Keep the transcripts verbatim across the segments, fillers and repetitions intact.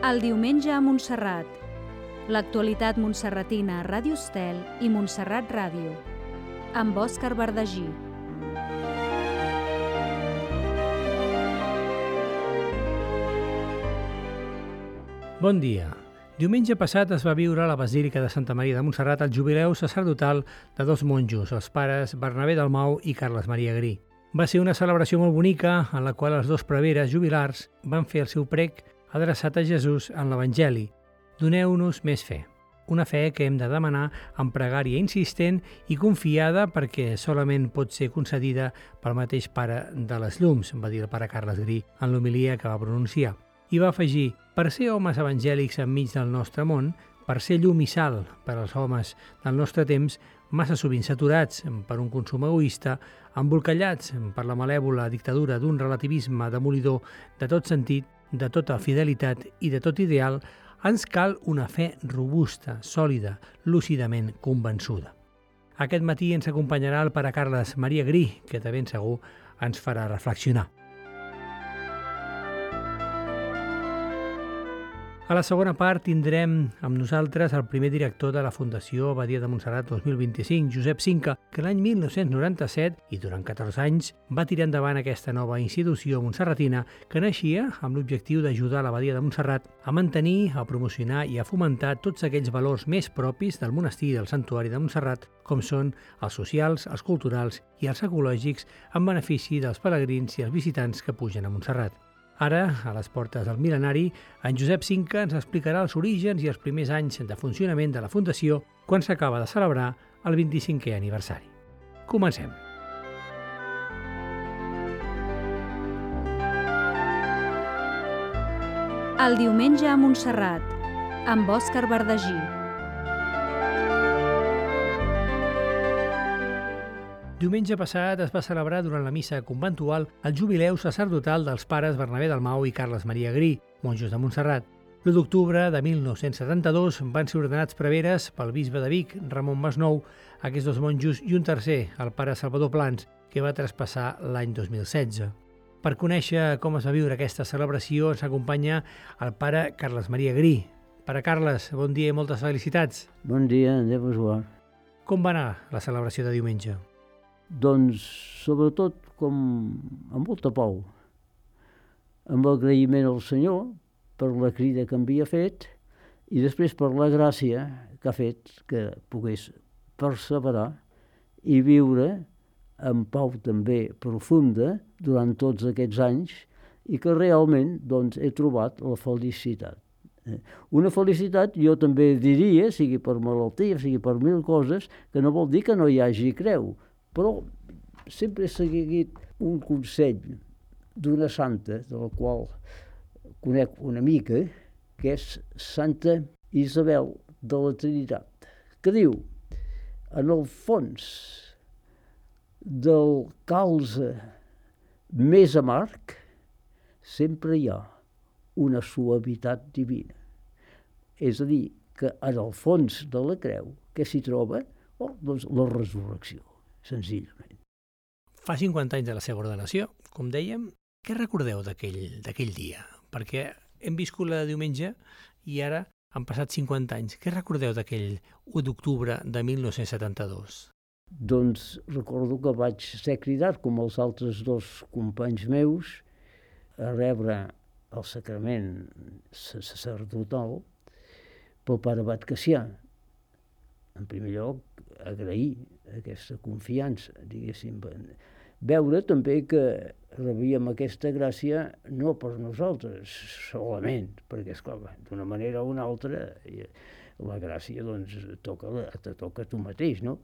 El diumenge a Montserrat. L'actualitat montserratina a Ràdio Estel i Montserrat Ràdio. Amb Òscar Verdagí. Bon dia. Diumenge passat es va viure a la Basílica de Santa Maria de Montserrat el jubileu sacerdotal de dos monjos, els pares Bernabé Dalmau i Carles Maria Grí. Va ser una celebració molt bonica en la qual els dos preveres jubilars van fer el seu prec adreçat a Jesús en l'Evangeli. Doneu-nos més fe. Una fe que hem de demanar amb pregària insistent i confiada perquè solament pot ser concedida pel mateix pare de les llums, va dir el pare Carles Grí en l'homilia que va pronunciar. I va afegir, per ser homes evangèlics enmig del nostre món, per ser llum i sal per als homes del nostre temps, massa sovint saturats per un consum egoista, embolcallats per la malèvola dictadura d'un relativisme demolidor de tot sentit, de tota fidelitat i de tot ideal, ens cal una fe robusta, sòlida, lúcidament convençuda. Aquest matí ens acompanyarà el pare Carles Maria Grí, que de ben segur ens farà reflexionar. A la segona part tindrem amb nosaltres el primer director de la Fundació Abadia de Montserrat dos mil vint-i-cinc, Josep Cinca, que l'any mil nou-cents noranta-set i durant catorze anys va tirar endavant aquesta nova institució montserratina que naixia amb l'objectiu d'ajudar l'Abadia de Montserrat a mantenir, a promocionar i a fomentar tots aquells valors més propis del monestir i del santuari de Montserrat, com són els socials, els culturals i els ecològics, en benefici dels pelegrins i els visitants que pugen a Montserrat. Ara, a les portes del mil·lenari, en Josep Cinca ens explicarà els orígens i els primers anys de funcionament de la Fundació quan s'acaba de celebrar el vint-i-cinquè aniversari. Comencem. El diumenge a Montserrat, amb Òscar Verdagí. Diumenge passat es va celebrar durant la missa conventual el jubileu sacerdotal dels pares Bernabé Dalmau i Carles Maria Grí, monjos de Montserrat. L'u d'octubre de mil nou-cents setanta-dos van ser ordenats preveres pel bisbe de Vic, Ramon Masnou, aquests dos monjos i un tercer, el pare Salvador Plans, que va traspassar l'any dos mil setze. Per conèixer com es va viure aquesta celebració ens acompanya el pare Carles Maria Grí. Pare Carles, bon dia i moltes felicitats. Bon dia, Déu vos guard. Com va anar la celebració de diumenge? Doncs, sobretot, com amb molta pau, amb agraïment al Senyor per la crida que havia fet i després per la gràcia que ha fet que pogués perseverar i viure amb pau també profunda durant tots aquests anys i que realment doncs, he trobat la felicitat. Una felicitat, jo també diria, sigui per malaltia, sigui per mil coses, que no vol dir que no hi hagi creu, però sempre he seguit un consell d'una santa, de la qual conec una mica, que és Santa Isabel de la Trinitat, que diu, en el fons del calze més amarg, sempre hi ha una suavitat divina. És a dir, que en el fons de la creu, què s'hi troba? Oh, doncs la resurrecció. Senzillament. Fa cinquanta anys de la seva ordenació, com dèiem. Què recordeu d'aquell dia? Perquè hem viscut la de diumenge i ara han passat cinquanta anys. Què recordeu d'aquell u d'octubre de mil nou-cents setanta-dos? Doncs recordo que vaig ser cridat, com els altres dos companys meus, a rebre el sacrament sacerdotal pel pare Abat Cassià. En primer lloc, agrair aquesta confiança, diguéssim. Veure també que rebíem aquesta gràcia no per nosaltres solament, perquè, esclar, d'una manera o una altra, la gràcia doncs, toca, te toca a tu mateix, no?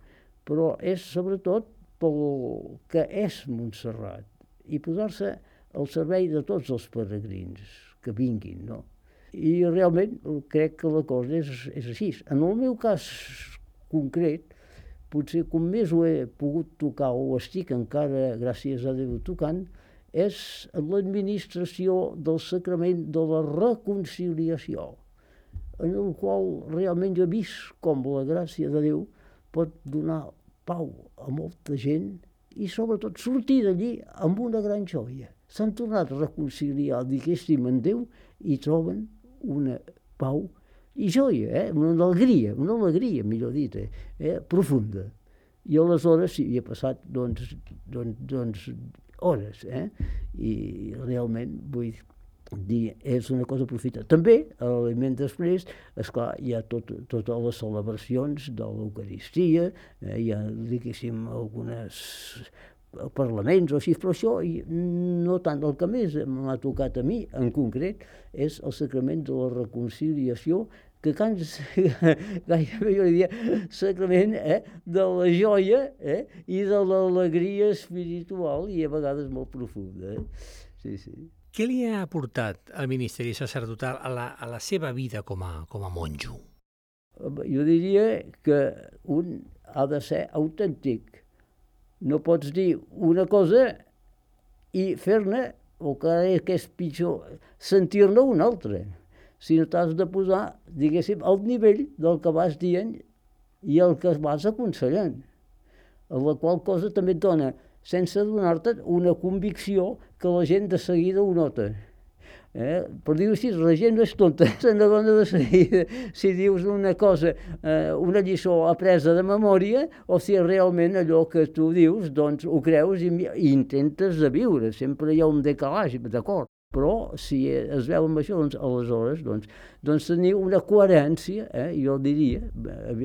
Però és sobretot pel que és Montserrat i posar-se al servei de tots els peregrins que vinguin, no? I realment crec que la cosa és, és així. En el meu cas concret, potser com més ho he pogut tocar o estic encara, gràcies a Déu, tocant, és l'administració del sacrament de la reconciliació, en el qual realment jo he vist com la gràcia de Déu pot donar pau a molta gent i sobretot sortir d'allí amb una gran joia. S'han tornat a reconciliar, diguéssim, en Déu i troben una pau i joia, eh? Una alegria, una alegria, millor dit, eh? Profunda. I aleshores sí, hi ha passat, doncs, doncs, doncs hores, eh? I realment, vull dir, és una cosa profita. També, a l'aliment després, esclar, hi ha tot, totes les celebracions de l'Eucaristia, eh? Hi ha, diguéssim, algunes parlaments o així, però això no tant. El que més m'ha tocat a mi, en concret, és el sacrament de la reconciliació, que cans, gairebé jo diria, sacrament eh, de la joia eh, i de l'alegria espiritual i a vegades molt profunda. Eh? Sí, sí. Què li ha aportat el ministeri sacerdotal a la, a la seva vida com a, com a monjo? Jo diria que un ha de ser autèntic. No pots dir una cosa i fer-ne, o que és pitjor, sentir-ne una altra. Sinó t'has de posar, diguéssim, al nivell del que vas dient i el que vas aconsellant. La qual cosa també et dona, sense donar-te una convicció que la gent de seguida ho nota. Eh? Per dir-ho així, la gent no és tonta, se n'adona de seguida si dius una cosa, eh, una lliçó apresa de memòria, o si realment allò que tu dius, doncs ho creus i, i intentes de viure. Sempre hi ha un decalatge, d'acord. Però si es veu amb això, doncs aleshores doncs, doncs tenir una coherència, eh, jo diria,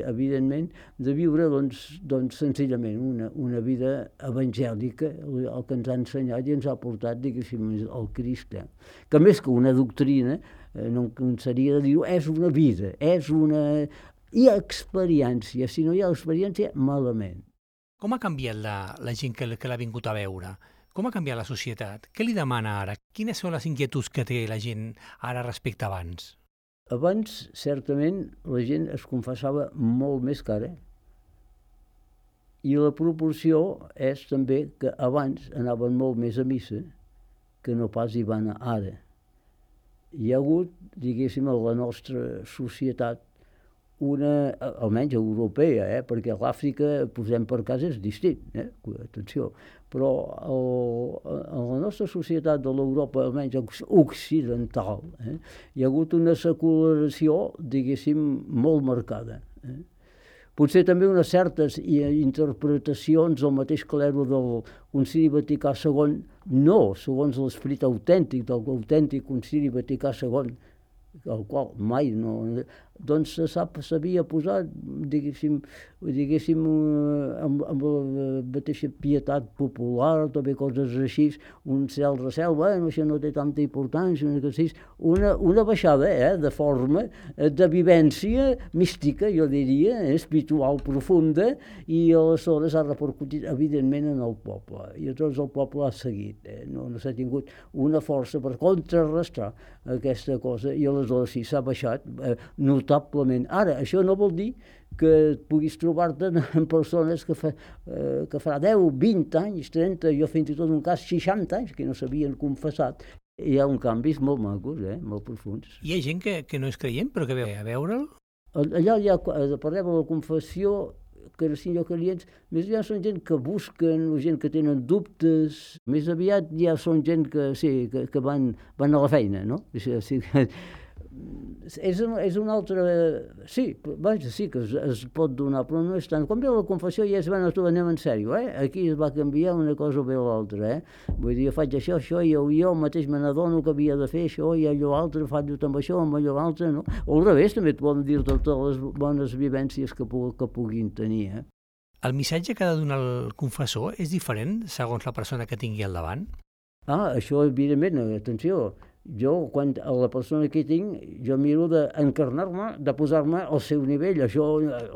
evidentment, de viure doncs, doncs senzillament una, una vida evangèlica, el que ens ha ensenyat i ens ha portat, diguéssim, el Crist. Eh? Que més que una doctrina, eh, no em seria de dir-ho, és una vida, és una... Hi ha experiència, si no hi ha experiència, malament. Com ha canviat la, la gent que, que l'ha vingut a veure? Com ha canviat la societat? Què li demana ara? Quines són les inquietuds que té la gent ara respecte a abans? Abans, certament, la gent es confessava molt més cara. I la proporció és també que abans anaven molt més a missa que no pas hi van ara. Hi ha hagut, diguéssim, a la nostra societat una, almenys europea, eh? Perquè a l'Àfrica, posem per cas, és distint, eh? Atenció, però el, a la nostra societat de l'Europa, almenys occidental, eh? Hi ha hagut una secularació, diguéssim, molt marcada. Eh? Potser també unes certes interpretacions del mateix clero del Concili Vaticà segon, no segons l'esperit autèntic del autèntic Concili Vaticà segon, el qual mai no... doncs s'havia posat, diguéssim, diguéssim amb, amb la mateixa pietat popular, també coses així, un cel recel, bueno, això no té tanta importància, una, una baixada eh, de forma, de vivència mística, jo diria, eh, espiritual profunda, i aleshores ha repercutit evidentment en el poble, i llavors el poble ha seguit, eh, no, no s'ha tingut una força per contrarrestar aquesta cosa, i aleshores sí, s'ha baixat eh, notablement. Ara, això no vol dir que puguis trobar-te amb persones que, fa, eh, que farà deu, vint anys, trenta, jo fins i tot un cas seixanta anys, que no s'havien confessat. Hi ha un canvis molt macos, eh, molt profuns. Hi ha gent que, que no és creient, però que ve a veure'l? Allà hi ha, parlem de la confessió, que no siguin clients, més aviat són gent que busquen, o gent que tenen dubtes, més aviat ja són gent que, sí, que, que van, van a la feina, no? Sí, sí, és, és una altra... Sí, vaja, sí que es, es pot donar, però no és tant. Quan ve la confessió ja és, bueno, tu anem en sèrio, eh? Aquí es va canviar una cosa o bé l'altra, eh? Vull dir, faig això, això, i jo, jo mateix me n'adono que havia de fer això, i allò altre, faig amb això, amb allò altre, no? O al revés, també et poden dir totes les bones vivències que, pu que puguin tenir, eh? El missatge que ha de donar el confessor és diferent segons la persona que tingui al davant? Ah, això, evidentment, atenció. Jo, quan a la persona que tinc, jo miro d'encarnar-me, de posar-me al seu nivell. Això,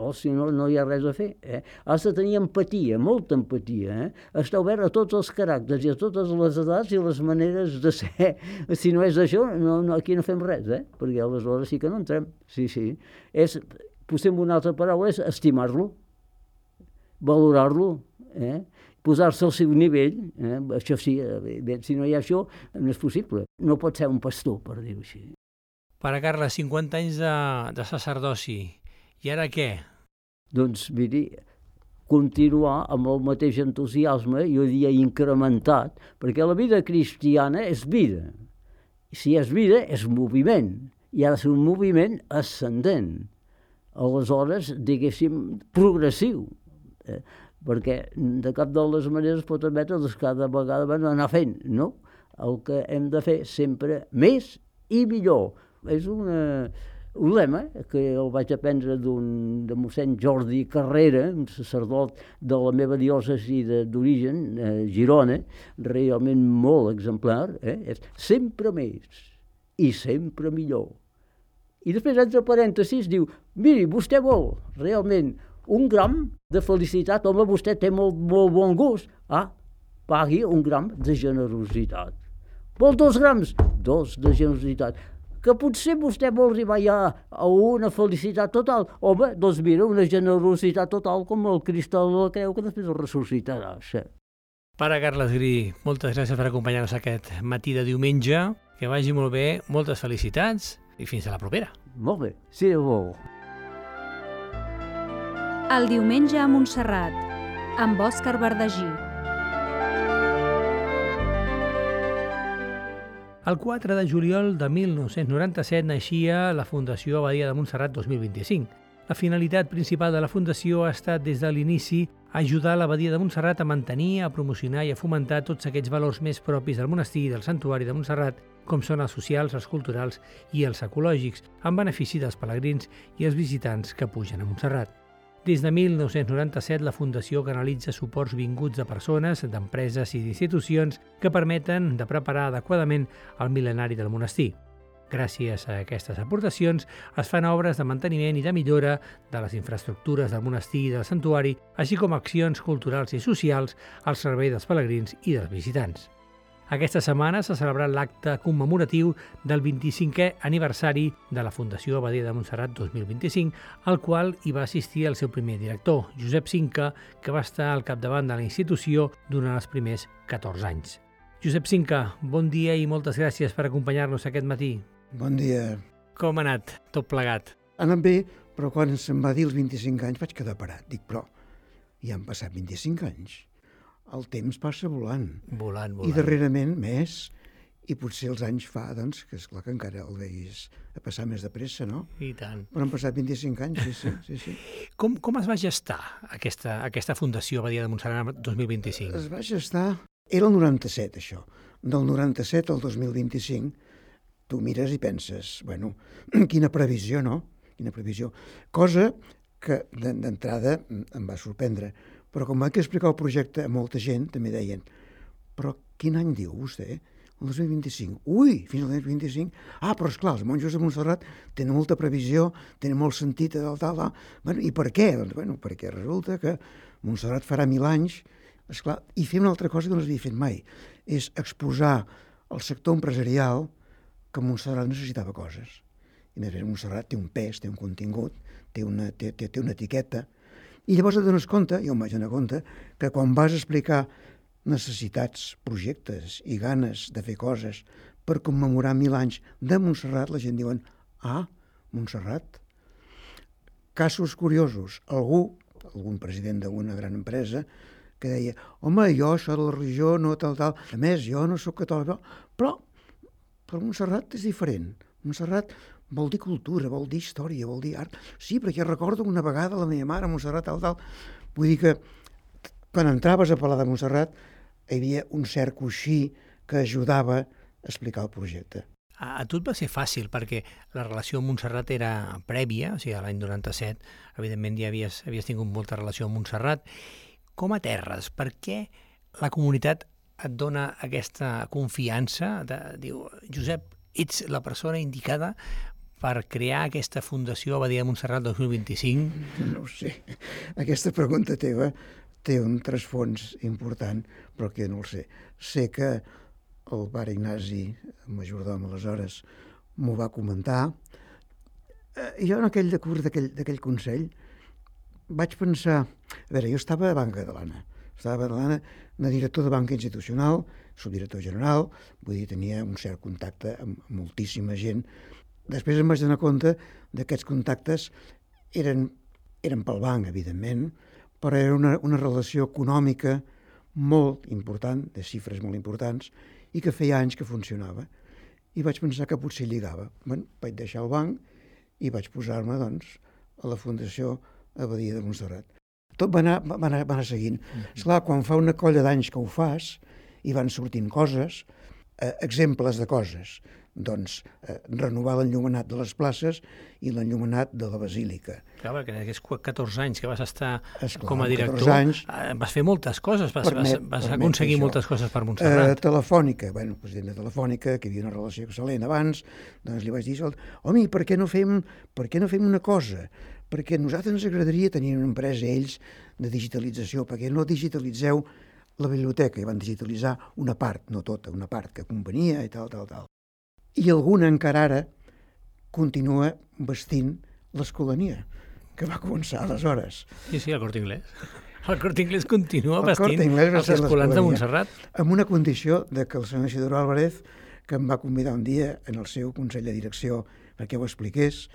o si no, no hi ha res a fer. Eh? Has de tenir empatia, molta empatia. Eh? Estar obert a tots els caràcters i a totes les edats i les maneres de ser. Si no és això, no, no, aquí no fem res, eh? Perquè aleshores sí que no entrem. Sí, sí. És, posem una altra paraula, és estimar-lo, valorar-lo, eh? Posar-se al seu nivell, eh? Això sí, bé, si no hi ha això, no és possible. No pot ser un pastor, per dir-ho així. Pare Carles, cinquanta anys de, de sacerdoci, i ara què? Doncs, miri, continuar amb el mateix entusiasme, jo diria incrementat, perquè la vida cristiana és vida. Si és vida, és moviment. i ha de ser un moviment ascendent. Aleshores, diguéssim, progressiu. Eh? Perquè de cap de les maneres pot admetre que cada vegada van anar fent, no? El que hem de fer sempre més i millor. És una, un lema que el vaig aprendre d'un, de mossèn Jordi Carrera, un sacerdot de la meva diòcesi d'origen, eh, Girona, realment molt exemplar, eh? És sempre més i sempre millor. I després, entre parèntesis, diu, miri, vostè vol realment un gram de felicitat, home, vostè té molt, molt bon gust. Ah, pagui un gram de generositat. Vol dos grams? Dos de generositat. Que potser vostè vol arribar ja a una felicitat total. Home, doncs mira, una generositat total com el Crist la creu que després el ressuscitarà. Sí. Pare Carles Grí, moltes gràcies per acompanyar-nos aquest matí de diumenge. Que vagi molt bé, moltes felicitats i fins a la propera. Molt bé, si Déu vol. El diumenge a Montserrat, amb Òscar Verdagí. El quatre de juliol de mil nou-cents noranta-set naixia la Fundació Abadia de Montserrat dos mil vint-i-cinc. La finalitat principal de la Fundació ha estat des de l'inici ajudar l'Abadia de Montserrat a mantenir, a promocionar i a fomentar tots aquests valors més propis del monestir i del santuari de Montserrat, com són els socials, els culturals i els ecològics, en benefici dels pelegrins i els visitants que pugen a Montserrat. Des de mil nou-cents noranta-set, la Fundació canalitza suports vinguts de persones, d'empreses i d'institucions que permeten de preparar adequadament el mil·lenari del monestir. Gràcies a aquestes aportacions es fan obres de manteniment i de millora de les infraestructures del monestir i del santuari, així com accions culturals i socials al servei dels pelegrins i dels visitants. Aquesta setmana s'ha celebrat l'acte commemoratiu del vint-i-cinquè aniversari de la Fundació Abadia de Montserrat dos mil vint-i-cinc, al qual hi va assistir el seu primer director, Josep Cinca, que va estar al capdavant de la institució durant els primers catorze anys. Josep Cinca, bon dia i moltes gràcies per acompanyar-nos aquest matí. Bon dia. Com ha anat tot plegat? Ha anat bé, però quan se'm va dir els vint-i-cinc anys vaig quedar parat. Dic, però ja han passat vint-i-cinc anys. El temps passa volant. Volant, volant. I darrerament més, i potser els anys fa, doncs, que esclar que encara el veis a passar més de pressa, no? I tant. Però han passat vint-i-cinc anys, sí, sí. sí, sí. Com, com es va gestar aquesta, aquesta Fundació Abadia de Montserrat dos mil vint-i-cinc? Es va gestar... Era el noranta-set, això. Del noranta-set al dos mil vint-i-cinc, tu mires i penses, bueno, quina previsió, no? Quina previsió. Cosa que d'entrada em va sorprendre. Però com vaig explicar el projecte a molta gent, també deien, però quin any diu vostè? El dos mil vint-i-cinc. Ui, fins al dos mil vint-i-cinc? Ah, però esclar, els monjos de Montserrat tenen molta previsió, tenen molt sentit, tal, tal, tal. Bueno, i per què? Doncs, bueno, perquè resulta que Montserrat farà mil anys, esclar, i fer una altra cosa que no s'havia fet mai, és exposar al sector empresarial que Montserrat necessitava coses. I a més a més, Montserrat té un pes, té un contingut, té una, té, té, té una etiqueta. I llavors et dones compte, jo em vaig donar compte, que quan vas explicar necessitats, projectes i ganes de fer coses per commemorar mil anys de Montserrat, la gent diuen, ah, Montserrat. Casos curiosos. Algú, algun president d'una gran empresa, que deia, home, jo això de la religió no tal, tal, a més, jo no sóc catòlic, però, però Montserrat és diferent. Montserrat vol dir cultura, vol dir història, vol dir art. Sí, perquè recordo una vegada la meva mare a Montserrat, tal, tal. Vull dir que quan entraves a parlar de Montserrat hi havia un cert coixí que ajudava a explicar el projecte. A, a tu et va ser fàcil, perquè la relació amb Montserrat era prèvia, o sigui, l'any noranta-set, evidentment ja havies, havies tingut molta relació amb Montserrat. Com aterres? Per què la comunitat et dona aquesta confiança? De, diu, Josep, ets la persona indicada per crear aquesta Fundació Abadia de Montserrat dos mil vint-i-cinc? No ho sé. Aquesta pregunta teva té un trasfons important, però que no el sé. Sé que el pare Ignasi, el majordom aleshores, m'ho va comentar. I jo en aquell decurs d'aquell consell vaig pensar... A veure, jo estava a Banca Catalana. Estava a Badalona, una director de banca institucional, subdirector general, vull dir, tenia un cert contacte amb moltíssima gent. Després em vaig donar compte que aquests contactes eren, eren pel banc, evidentment, però era una, una relació econòmica molt important, de xifres molt importants, i que feia anys que funcionava. i vaig pensar que potser lligava. Bueno, vaig deixar el banc i vaig posar-me, doncs, a la Fundació Abadia de Montserrat. Tot va anar, va anar, va anar seguint. Mm-hmm. Esclar, quan fa una colla d'anys que ho fas, i van sortint coses, eh, exemples de coses, doncs eh, renovar l'enllumenat de les places i l'enllumenat de la Basílica. Clar, perquè en aquests catorze anys que vas estar Esclar, com a director, anys, eh, vas fer moltes coses, vas, permet, vas, vas permet aconseguir això. moltes coses per Montserrat. Eh, telefònica, bueno, president de Telefònica, que hi havia una relació excel·lent abans, doncs li vaig dir, home, per què no fem, per què no fem una cosa? Perquè a nosaltres ens agradaria tenir una empresa, ells, de digitalització, perquè no digitalitzeu la biblioteca, i van digitalitzar una part, no tota, una part que companyia i tal, tal, tal. I alguna encara ara continua vestint l'Escolania, que va començar aleshores. Sí, sí, el Corte Inglés. El Corte Inglés continua El vestint Corte Inglés els escolans de Montserrat. Amb una condició de que el senyor Isidoro Álvarez, que em va convidar un dia en el seu Consell de Direcció perquè ho expliqués,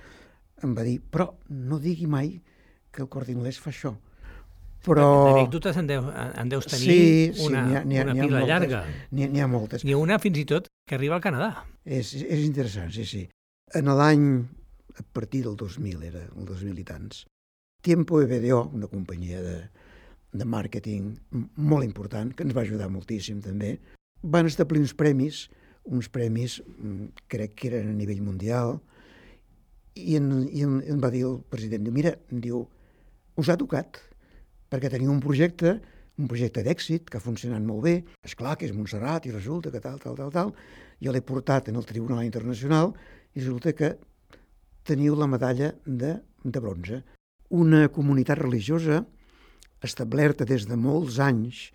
em va dir, però no digui mai que el Corte Inglés fa això. Però... D'anècdotes en, deu, en deus tenir sí, sí, una, n'hi ha, n'hi ha, una n'hi ha pila moltes, llarga. N'hi ha moltes. N'hi ha una fins i tot que arriba al Canadà. És, és interessant, sí, sí. En l'any, a partir del dos mil, era el dos mil i tants, Tiempo E B D O, una companyia de, de màrqueting molt important, que ens va ajudar moltíssim també, van establir uns premis, uns premis, crec que eren a nivell mundial, i, en, i en, em va dir el president, mira, em diu, us ha tocat, perquè tenia un projecte, un projecte d'èxit, que ha funcionat molt bé, esclar que és Montserrat, i resulta que tal, tal, tal, tal, jo l'he portat en el Tribunal Internacional, i resulta que teniu la medalla de, de bronze. Una comunitat religiosa establerta des de molts anys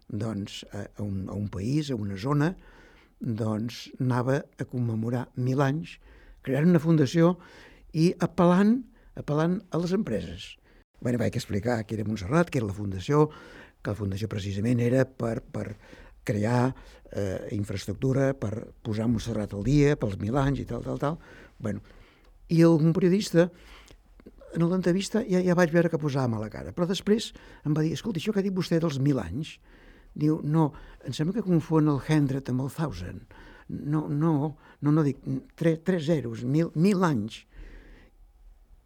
doncs, a, a, un, a un país, a una zona, doncs anava a commemorar mil anys, creant una fundació i apel·lant, apel·lant a les empreses. Bueno, vaig explicar que era Montserrat, que era la fundació, que la fundació precisament era per, per crear eh, infraestructura, per posar Montserrat al dia, pels mil anys i tal, tal, tal. Bueno, i algun periodista, en l'entrevista ja, ja vaig veure que posava mala cara, però després em va dir, escolta, això que ha dit vostè dels mil anys, diu, no, em sembla que confon el hundred amb el thousand. No, no, no, no dic, tres, tres zeros, mil, mil anys.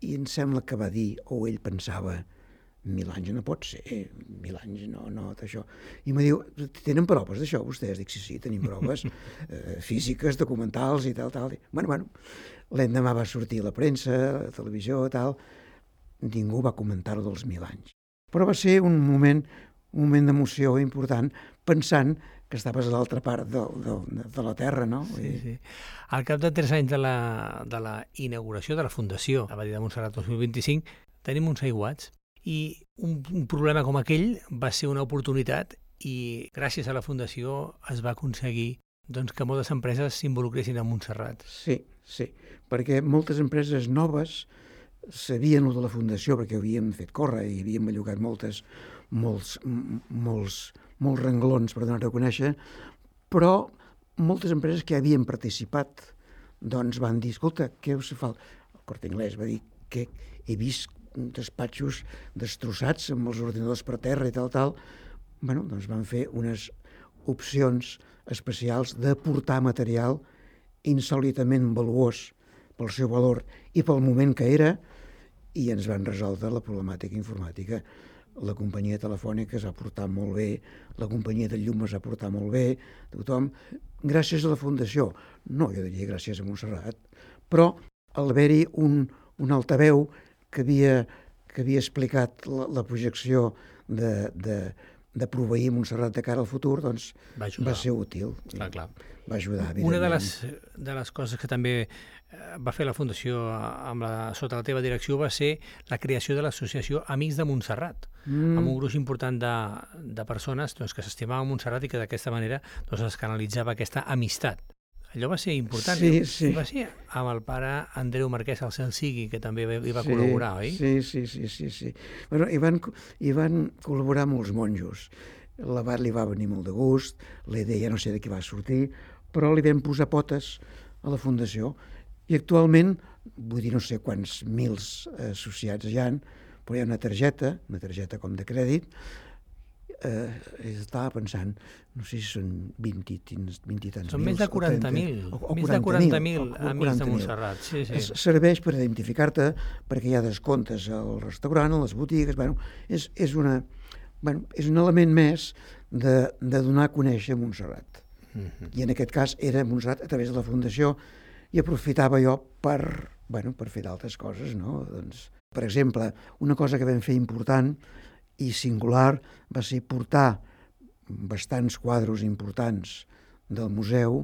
I em sembla que va dir, o ell pensava, mil anys no pot ser, mil anys no, no, això. I em diu, tenen proves d'això vostès? Dic, sí, sí, tenim proves eh, físiques, documentals i tal, tal. Bueno, bueno, l'endemà va sortir a la premsa, a la televisió, tal, ningú va comentar-ho dels mil anys. Però va ser un moment, un moment d'emoció important, pensant que estaves a l'altra part de, de, de la Terra, no? Sí, sí. Al cap de tres anys de la, de la inauguració de la Fundació Abadia de Montserrat dos mil vint-i-cinc, tenim uns aiguats i un, un problema com aquell va ser una oportunitat i gràcies a la Fundació es va aconseguir doncs, que moltes empreses s'involucressin a Montserrat. Sí, sí, perquè moltes empreses noves sabien el de la Fundació perquè havíem fet córrer i havíem bellugat moltes, molts, molts, molts renglons per donar-ho a conèixer, però moltes empreses que havien participat doncs van dir, escolta, què us fa? El Corte Inglés va dir que he vist despatxos destrossats amb els ordinadors per terra i tal, tal. Bueno, doncs van fer unes opcions especials de portar material insòlitament valuós pel seu valor i pel moment que era, i ens van resoldre la problemàtica informàtica. La companyia telefònica es va portar molt bé, la companyia de llum es va portar molt bé, tothom, gràcies a la Fundació. No, jo diria gràcies a Montserrat, però al haver-hi un, un altaveu que havia, que havia explicat la, la projecció de, de, de proveir Montserrat de cara al futur, doncs va, va ser útil. Clar, clar. Va ajudar, evidentment. Una de les, de les coses que també va fer la Fundació amb la, sota la teva direcció va ser la creació de l'associació Amics de Montserrat, mm. amb un gruix important de, de persones doncs, que s'estimaven Montserrat i que d'aquesta manera doncs, es canalitzava aquesta amistat. Allò va ser important. Sí, sí. Va ser amb el pare Andreu Marquès, el cel sigui, que també hi va sí, col·laborar, oi? Sí, sí, sí. sí, sí. Bueno, hi, van, hi van col·laborar molts monjos. L'abat li va venir molt de gust, la idea no sé de què va sortir, però li vam posar potes a la Fundació. I actualment, vull dir, no sé quants mils associats hi ha, però hi ha una targeta, una targeta com de crèdit, eh, estava pensant, no sé si són vint i tants mil. Són més de quaranta mil, o, o més de quaranta mil amics de mil. Montserrat. Sí, sí. Serveix per identificar-te perquè hi ha descomptes al restaurant, a les botigues, bueno, és, és, una, bueno, és un element més de, de donar a conèixer Montserrat. Mm-hmm. I en aquest cas era Montserrat a través de la Fundació i aprofitava jo per, bueno, per fer d'altres coses, no? Doncs, per exemple, una cosa que vam fer important i singular va ser portar bastants quadros importants del museu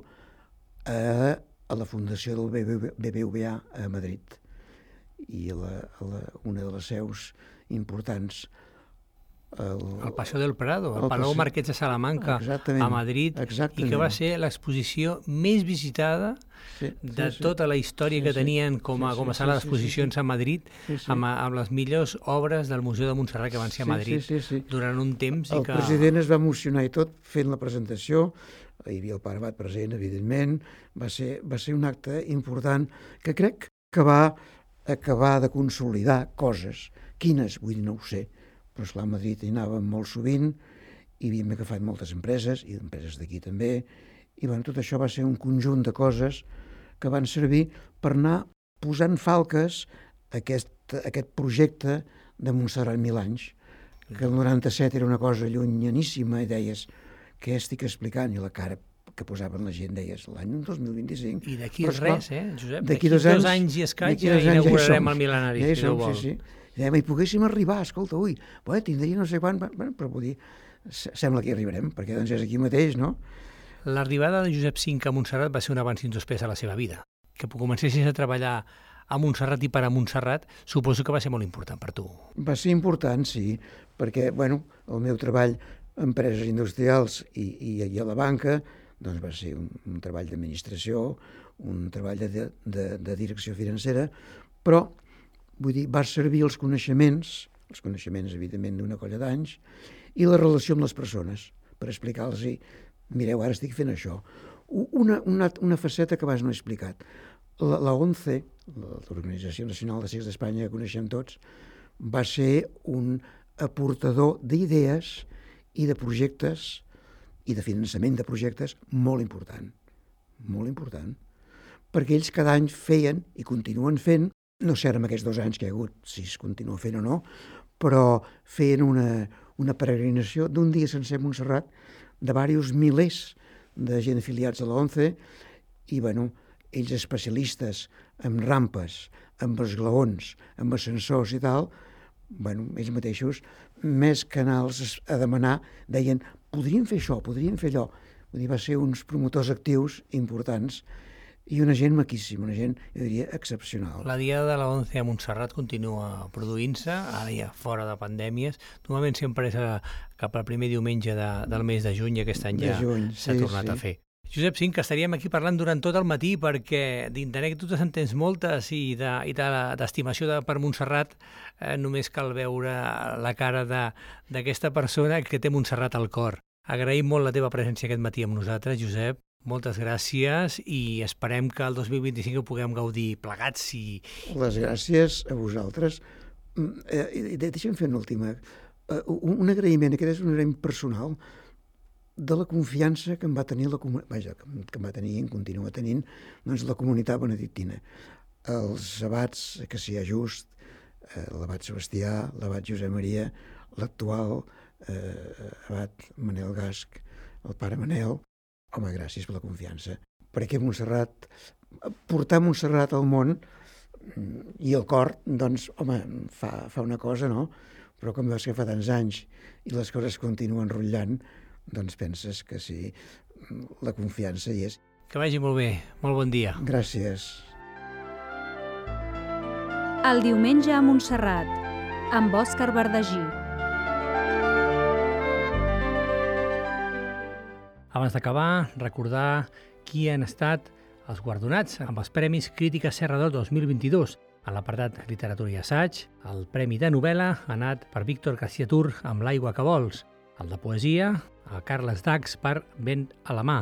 a, a la fundació del B B V A a Madrid i a, la, a la, una de les seus importants el, el Paseo del Prado, el, el Palau Paseo... Marquès de Salamanca a Madrid, exactament. I que va ser l'exposició més visitada sí, de sí, tota la història sí, que tenien com a, sí, com a sala sí, d'exposicions sí, sí. a Madrid, sí, sí. Amb, amb les millors obres del Museu de Montserrat que van ser a Madrid sí, sí, sí, sí. durant un temps. El i que... president es va emocionar i tot fent la presentació, hi havia el pare Abat present, evidentment, va ser, va ser un acte important que crec que va acabar de consolidar coses. Quines? Vull dir, no ho sé. Però esclar, a Madrid hi anàvem molt sovint i havíem agafat moltes empreses, i empreses d'aquí també, i bueno, tot això va ser un conjunt de coses que van servir per anar posant falques a aquest, a aquest projecte de Montserrat Mil Anys, que el noranta-set era una cosa llunyaníssima i deies, què estic explicant? I la cara que posaven la gent deies, l'any dos mil vint-i-cinc. I d'aquí res, eh, Josep? D'aquí dos anys, dos anys i escaig ja inaugurarem el mil·lenari. Ja hi som, sí, sí. I hi poguéssim arribar, escolta, ui, bueno, tindria no sé quan, bueno, però vull dir, sembla que hi arribarem, perquè doncs és aquí mateix, no? L'arribada de Josep cinc a Montserrat va ser un abans i un després a la seva vida. Que comencessis a treballar a Montserrat i per a Montserrat, suposo que va ser molt important per tu. Va ser important, sí, perquè, bueno, el meu treball en empreses industrials i, i, i a la banca, doncs va ser un, un treball d'administració, un treball de, de, de direcció financera, però vull dir, va servir els coneixements, els coneixements, evidentment, d'una colla d'anys, i la relació amb les persones, per explicar-los, mireu, ara estic fent això. Una, una, una faceta que abans no he explicat. La, la ONCE, l'Organització Nacional de Circs d'Espanya, que coneixem tots, va ser un aportador d'idees i de projectes i de finançament de projectes molt important, molt important, perquè ells cada any feien i continuen fent, no sé ara amb aquests dos anys que hi ha hagut, si es continua fent o no, però feien una, una peregrinació d'un dia sencer a Montserrat de diversos milers de gent afiliats a l'ONCE i, bueno, ells especialistes en rampes, amb esglaons, amb ascensors i tal, bueno, ells mateixos, més canals a demanar, deien, podrien fer això, podrien fer allò. Vull dir, va ser uns promotors actius importants i una gent maquíssima, una gent, jo diria, excepcional. La Diada de la ONCE a Montserrat continua produint-se, ara ja fora de pandèmies. Normalment sempre és a, cap al primer diumenge de, del mes de juny, aquest any ja s'ha sí, tornat sí. a fer. Josep cinc, estaríem aquí parlant durant tot el matí perquè d'anècdotes en tens moltes i de, i d'estimació de, per Montserrat eh, només cal veure la cara d'aquesta persona que té Montserrat al cor. Agraïm molt la teva presència aquest matí amb nosaltres, Josep. Moltes gràcies i esperem que el dos mil vint-i-cinc ho puguem gaudir plegats. I... Les gràcies a vosaltres. Eh, deixa'm fer una última. Uh, un, un agraïment, aquest és un agraïment personal, de la confiança que em va tenir la comunitat, vaja, que em va tenir i em continua tenint, doncs la comunitat benedictina. Els abats, que s'hi ha just, eh, l'abat Sebastià, l'abat Josep Maria, l'actual eh, abat Manel Gasc, el pare Manel, home, gràcies per la confiança. Perquè Montserrat, portar Montserrat al món i el cor, doncs, home, fa, fa una cosa, no? Però com veus que fa tants anys i les coses continuen rotllant, doncs penses que sí, la confiança hi és. Que vagi molt bé, molt bon dia. Gràcies. El diumenge a Montserrat, amb Òscar Verdagí. Abans d'acabar, recordar qui han estat els guardonats amb els Premis Crítica Serra del dos mil vint-i-dos. A l'apartat Literatura i Assaig, el Premi de Novel·la ha anat per Víctor García Tur amb L'aigua que vols, el de Poesia a Carles Dax per Vent a la mà,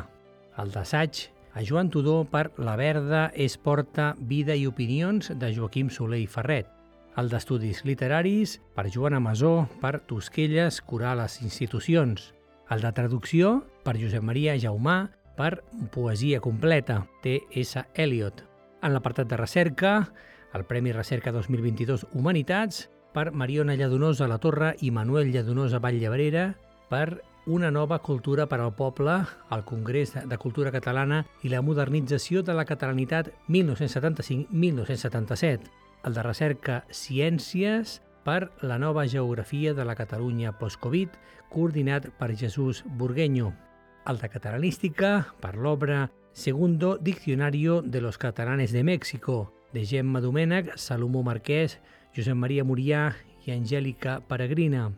el d'Assaig a Joan Tudó per La verda és porta, vida i opinions de Joaquim Soler i Ferret, el d'Estudis Literaris per Joana Masó per Tosquelles, curar les institucions, el de Traducció per Josep Maria Jaumà per Poesia completa, T S Eliot. En l'apartat de recerca, el Premi Recerca dos mil vint-i-dos Humanitats per Mariona Lladonosa La Torre i Manuel Lladonosa Vall-Llebrera per Una nova cultura per al poble, al Congrés de Cultura Catalana i la modernització de la catalanitat mil nou-cents setanta-cinc a mil nou-cents setanta-set. El de recerca Ciències per la nova geografia de la Catalunya post-Covid, coordinat per Jesús Burgueño. El de Catalanística per l'obra Segundo Diccionario de los Catalanes de México, de Gemma Domènech, Salomó Marquès, Josep Maria Murià i Angèlica Peregrina.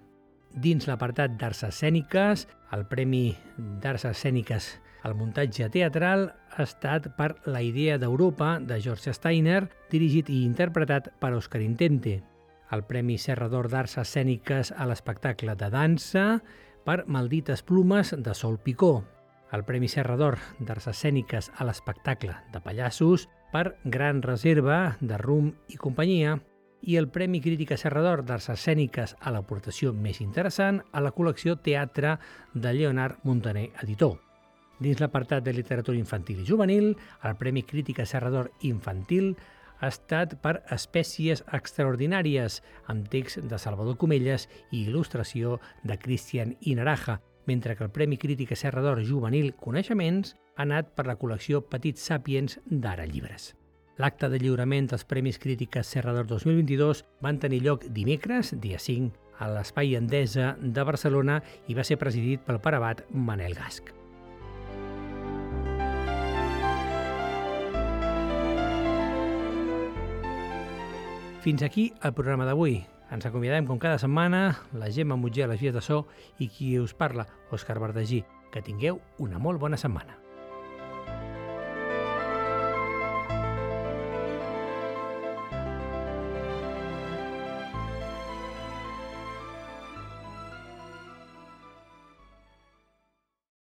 Dins l'apartat d'Arts Escèniques, el Premi d'Arts Escèniques al muntatge teatral ha estat per La idea d'Europa, de George Steiner, dirigit i interpretat per Òscar Intente. El Premi Serra d'Or d'Arts Escèniques a l'espectacle de dansa per Maldites Plumes, de Sol Picó. El Premi Serra d'Or d'Arts Escèniques a l'espectacle de pallassos per Gran Reserva, de Rum i companyia, i el Premi Crítica Serra d'Or d'Arts Escèniques a l'aportació més interessant a la col·lecció Teatre de Lleonard Montaner, editor. Dins l'apartat de literatura infantil i juvenil, el Premi Crítica Serra d'Or infantil ha estat per Espècies extraordinàries, amb text de Salvador Comelles i il·lustració de Cristian Inaraja, mentre que el Premi Crítica Serra d'Or juvenil Coneixements ha anat per la col·lecció Petits Sàpiens d'Ara Llibres. L'acte de lliurament dels Premis Crítiques Serra d'Or dos mil vint-i-dos van tenir lloc dimecres, dia cinc, a l'Espai Endesa de Barcelona i va ser presidit pel pare abat Manel Gasch. Fins aquí el programa d'avui. Ens acomiadem com cada setmana, la Gemma Mutger a les vies de so i qui us parla, Òscar Bardagí. Que tingueu una molt bona setmana.